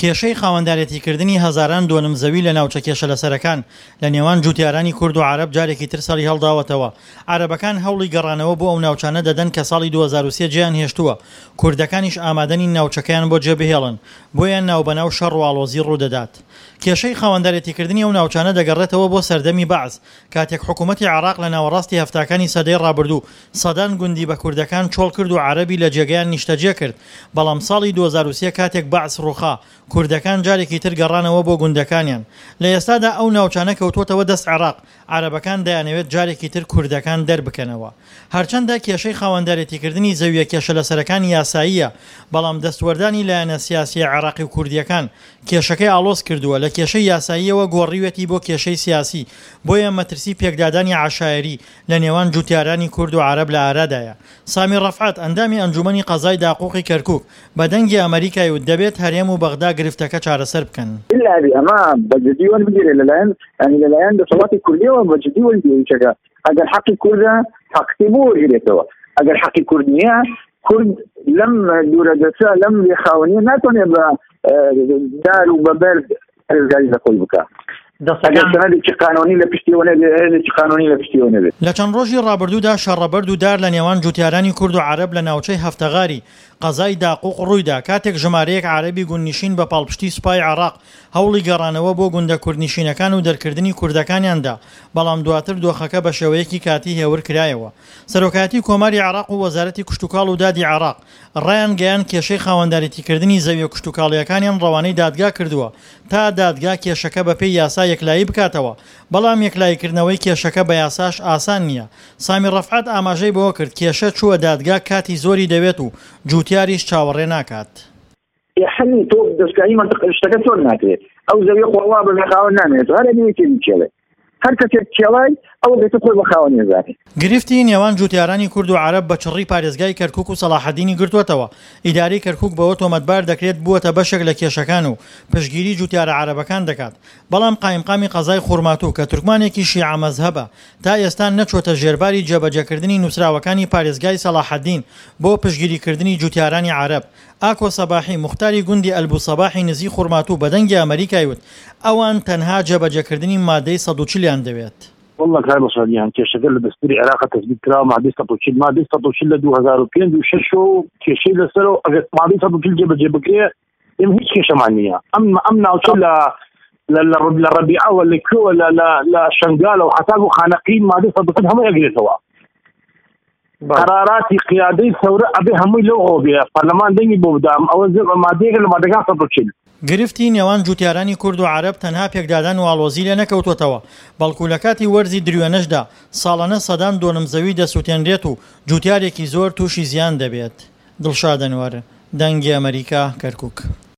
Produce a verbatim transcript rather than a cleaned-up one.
کێشەی خاوەندارێتیکردنی هەزاران دۆنم زەوی لە ناوچە کێشە لەسەرەکان لە نێوان جوتیارانی کورد و عەرەب جارێکی تر سەری هەڵداوەتەوە. عەرەبەکان هەوڵی گەڕانەوە بۆ ئەو ناوچانە دەدەن کە ساڵی دوو هەزار و سێ جێیان هێشتووە، کوردەکانیش ئامادە نین ناوچەکەیان بۆ جێبهێڵن، بۆیە ناوبەناو شەڕ و ئاڵۆزی ڕوودەدات. کێشەی خاوەندارێتیکردنی ئەو ناوچانە دەگەڕێتەوە بۆ سەردەمی بەعس، کاتێک حکوومەتی عێراق لە ناوەڕاستی هەفتاکانی سەدەی ڕابردوو سەدان گوندی بە کوردەکان چۆڵ کرد و عەرەبی لە جێگەیان نیشتەجێ کرد، بەڵام ساڵی دوو هەزار و سێ کاتێک بەعس ڕووخا، کوردەکان جارێکی تر گەڕانەوە بۆ گوندەکانیان. لە ئێستادا ئەو ناوچانە کەوتووەتەوە دەست عێراق، عەرەبەکان دەیانەوێت جارێکی تر کوردەکان دەربکەنەوە. هەرچەندە کێشەی خاوەندارێتیکردنی زەوییە کێشەلەسەرەکان یاساییە، بەڵام دەستوەردانی لایەنە سیاسییە عێراقی و کوردییەکان کێشەکەی ئاڵۆز کردووە، لە کێشەی یاساییەوە گۆڕیوێتی بۆ کێشەی سیاسی، بۆیە مەترسی پێکدادانی عەشایەری لە نێوان جوتیارانی کورد و عەرەب لە ئارادایە. سامی ڕەفعەت، ئەندامی ئەنجومەنی قەزای داقوقی کەرکوک، بە دەنگی ئەمەریکای وت دەبێت هەرێم و بەغدا گرفتەکە چارەسەر بکەن. ئیلا ئەبێ ئەمە بە جدی وەربگیرێ لەلایەن یانی لەلایەن دەسەڵاتی کوردیەوە بە جدی وەربگیرێ چەکە ئەگەر حەقی کوردە حەقی بۆ وەرگرێتەوە ئەگەر حەقی کورد نییە کورد لەم دوورە دەسە لەم لێخاوەنیە ناتوانێت بە دار و بە بەرد پارێزگاری لە خۆی بکە ئەگەر سەنەدێکی قانونی لە پشتیەوە نەبێ هێزێکی قانونی لە پشتیەوە نەبێ. لە چەند ڕۆژی ڕابردوودا شەڕە بەرد و دار لە نێوان جوتیارانی کورد و عەرەب لە ناوچەی هەفتەغاری قەزای داقوق ڕوویدا کاتێک ژمارەیەک عەرەبی گوندنشین بە پاڵپشتی سوپای عێراق هەوڵی گەڕانەوە بۆ گوندە کوردنشینەکان و دەرکردنی کوردەکانیان دا بەڵام دواتر دۆخەکە بە شێوەیەکی کاتی هێور کرایەوە. سەرۆکایەتی کۆماری عێراق و وەزارەتی کشتوکاڵ و دادی عێراق ڕایانگەیاند کێشەی خاوەندارێتیکردنی زەویە کشتوکاڵییەکانیان ڕەوانەی دادگا کردووە تا دادگا کێشەکە بەپێی یاسا یەکلایی بکاتەوە، بەڵام یەکلاییکردنەوەی کێشەکە بە یاساش ئاسان نییە. سامی ڕەفعەت ئاماژەی بەوەکرد، کێشە چووە دادگا کاتی زۆری دەوێت و جووتیاریش چاوەڕێ ناکات. ئێ حەلی تۆ دەستکاری مەنتق شتەکە چۆن ناکرێت ئەو زەویە خۆ وا بە خاوەن نامێنێتەوە هەر ئەبێ یەکێک بکێڵێ هەر کەسێک کێڵای ئەوە گەتە خۆی بە خاوەن نێزانێ. گرفتی نێوان جوتیارانی کورد و عەرەب بە چڕی پارێزگای کەرکوک و سەڵاحەدینی گرتووەتەوە، ئیدارەی کەرکوک بەوە تۆمەتبار دەکرێت بووەتە بەشێک لە کێشەکان و پشتگیری جوتیارە عەرەبەکان دەکات، بەڵام قایمقامی قەزای خورماتوو کە تورکمانێکی شیعە مەزهەبە تا ئێستا نەچووەتە ژێرباری جێبەجێکردنی نووسراوەکانی پارێزگای سەڵاحەدین بۆ پشتگیریکردنی جوتیارانی عەرەب. ئاکۆ سەباحی، موختاری گوندی ئەلبو سەباحی نزیک خورماتوو بە دەنگی ئەمەریکای وت، ئەوان تەنها جێبەجێکردنی مادەی سەد و چل یان دەوێت. واللە کاک ڕەشاد گیان کێشەکە لە دەستوری عێراق تەسبیت کراوە مادەی سەد و چل مادەی سەد و چل لە دوو هەزار و پێنج و شەش و کێشەی لەسەرە و ئەگەر مادەی سەد و چل جێبەجێ بکرێ ئێمە هیچ کێشەمان نییە ئەم ئەم ناوچە لە لە لە لە ڕەبیعەوە لە کوێوە لە لە لە شەنگالەوە حەتاکو خانەقین مادەی سەد و چل هەمووی ئەگرێتەوە قەراراتی قیادەی سەورە ئەبێ هەمووی لەو ئەوە بێ پەرلەمان دەنگی بۆ بدام ئەوە مادەیەکە لە مادەکان سەد و چل. گرفتی نێوان جوتیارانی کورد و عەرەب تەنها پێکدادان و ئاڵۆزی لێ نەکەوتووەتەوە، بەڵکو لە کاتی وەرزی دروێنەشدا ساڵانە سەدان دۆنم زەوی دەسوتێنرێت و جوتیارێکی زۆر تووشی زیان دەبێت. دڵشاد ئەنوەر، دەنگی ئەمەریکا، کەرکوک.